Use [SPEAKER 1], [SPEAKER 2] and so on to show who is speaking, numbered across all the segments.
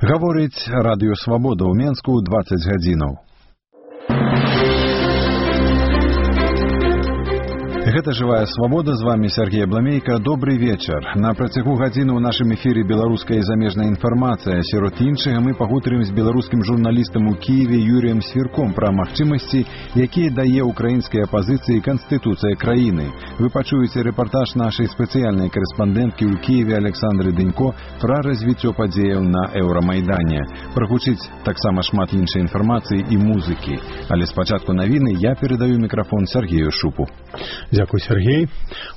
[SPEAKER 1] Гаворыць радыё Свабода ў Менску 20 гадзінаў. Гэта «Жывая свабода», з вами Сергей Бламейка. Добрый вечар. На працягу гадзіны ў нашым эфіры беларуская і замежная інфармацыя. Сярод іншага мы пагутарым з беларускім журналістам у Киеве Юрыем Свірком пра магчымасці, якія дае украінскай апазіцыі Канстытуцыя краіны. Вы пачуеце рэпартаж нашай спецыяльнай корэспандэнткі ў Киеве Александры Дынько пра развіццё падзеяў на Еўрамайдане. Прагучыць таксама шмат іншай інфармацыі і музыкі. Але спачатку навіны я перадаю мікрафон Сергею Шупу.
[SPEAKER 2] Дзякуй, Сергей.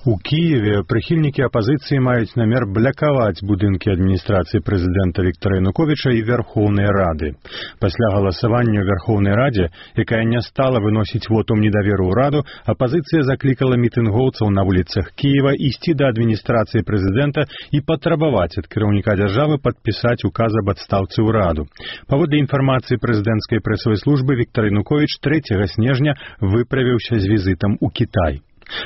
[SPEAKER 2] У Киеве прыхільнікі апазіцыі маюць намер блакаваць будынкі адміністрацыі прэзідэнта Віктора Януковіча і Верхоўнай Рады. Пасля галасавання ў Верхоўнай Радзе, якая не стала выносіць вотум недаверу ўраду, апазіцыя заклікала мітынгоўцаў на вуліцах Киева ісці да адміністрацыі прэзідэнта і патрабаваць ад кіраўніка дзяржавы падпісаць указ аб адстаўцы ўраду. Паводле інфармацыі прэзідэнцкай прэсавай службы, Віктор Януковіч 3 снежня выправіўся з візітам у Кітай.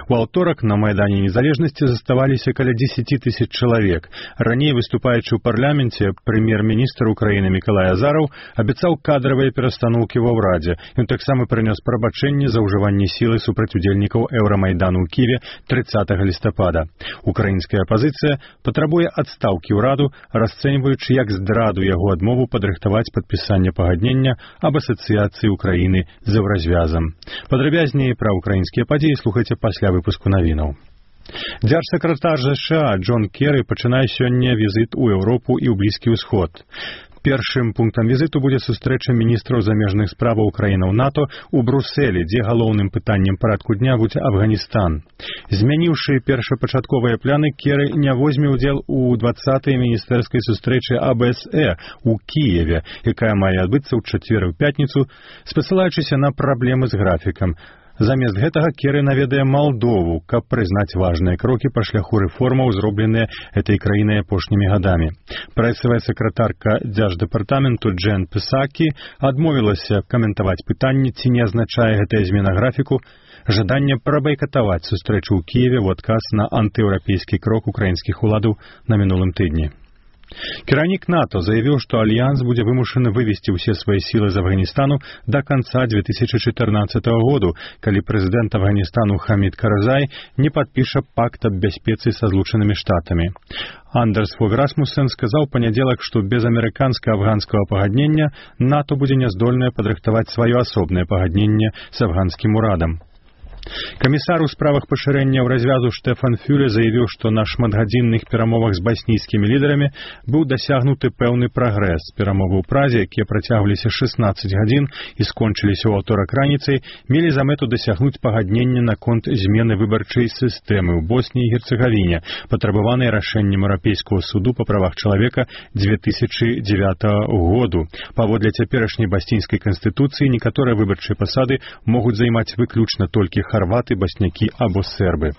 [SPEAKER 2] У аўторак на Майдане Незалежнасці заставаліся каля 10 000 чалавек. Раней, выступаючы ў парламенце, прэм'ер-міністр Украіны Мікалай Азараў абяцаў кадравыя перастаноўкі ва ўрадзе. Ён таксама прынёс прабачэнне за ўжыванне сілы супраць удзельнікаў Еўрамайдану ў Киеве 30 лістапада. Украінская апазіцыя патрабуе адстаўкі ўраду, расцэньваючы як здраду яго адмову падрыхтаваць падпісанне пагаднення аб асацыяцыі Украіны з еўразвязам. Падрабязней пра украінскія падзеі слухайце пасля выпуску навінаў. Дзяржсакратар ЗША Джон Керры пачынае сёння візіт у Еўропу і ў Блізкі ўсход. Першым пунктам візіту будзе сустрэча міністраў замежных справаў краінаў НАТО ў Брусэлі, дзе галоўным пытаннем парадку дня будзе Афганістан. Змяніўшы першапачатковыя пляны, Керры не возьме ўдзел у 20-й міністэрскай сустрэчы АБСЭ ў Кіеве, якая мае адбыцца ў чацвер і пятніцу, спасылаючыся на праблемы з графікам. Замест гэтага Керры наведае Малдову, каб прызнаць важныя крокі па шляху рэформаў, зробленыя этой краінай апошнімі гадамі. Прэсавая сакратарка дзярждэпартаменту Джен Псакі адмовілася каментаваць пытанне, ці не азначае гэтая змена графіку жаданне прабайкатаваць сустрэчу ў Кіеве ў адказ на антыеўрапейскі крок украінскіх уладаў на мінулым тыдні. Кіраўнік НАТО заявіў, што Альянс будзе вымушаны вывесці ўсе свае сілы з Афганістану да канца 2014 году, калі прэзідэнт Афганістану Хамід Карзай не падпіша пакт аб бяспецы са Злучанымі Штатамі. Андерс Фог Расмуссен сказаў панядзелак, што без амерыканска-афганскага пагаднення НАТО будзе няздольнае падрыхтаваць сваё асобнае пагадненне з афганскім урадам. Камісар у справах пашырэння ў развязу Штэфан Фюле заявіў, што на шматгадзінных перамовах з баснійскімі лідарамі быў дасягнуты пэўны прагрэс. Перамовы ў Празе, якія працягваліся 16 гадзін і скончыліся ў аўторак раніцай, мелі за мэту дасягнуць пагаднення наконт змены выбарчай сістэмы ў Босніі і Герцэгавіне, патрабаванай рашэннем Еўрапейскага суду па правах чалавека 2009 году. Паводле цяперашняй баснійскай канстытуцыі некаторыя выбарчыя пасады могуць займаць выключна толькі харваты, баснякі або сербы.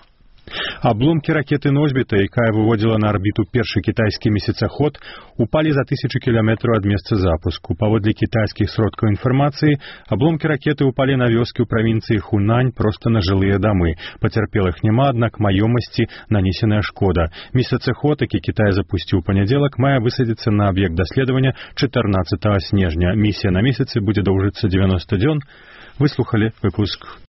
[SPEAKER 2] Абломкі ракеты «Носьбіта», якая выводзіла на арбіту першы кітайскі месяцаход, упалі за 1000 кіламетраў ад месца запуску. Паводле кітайскіх сродкаў інфармацыі, абломкі ракеты упалі на вёскі ў правінцыі Хунань проста на жылыя дамы. Пацярпелых няма, аднак маёмасці нанесеная шкода. Месяцаход, які Кітай запусціў у панядзелак, мае высадзіцца на аб'ект даследавання 14 снежня. Місія на месяцы будзе доўжыцца 90 дзён. Выслухалі выпуск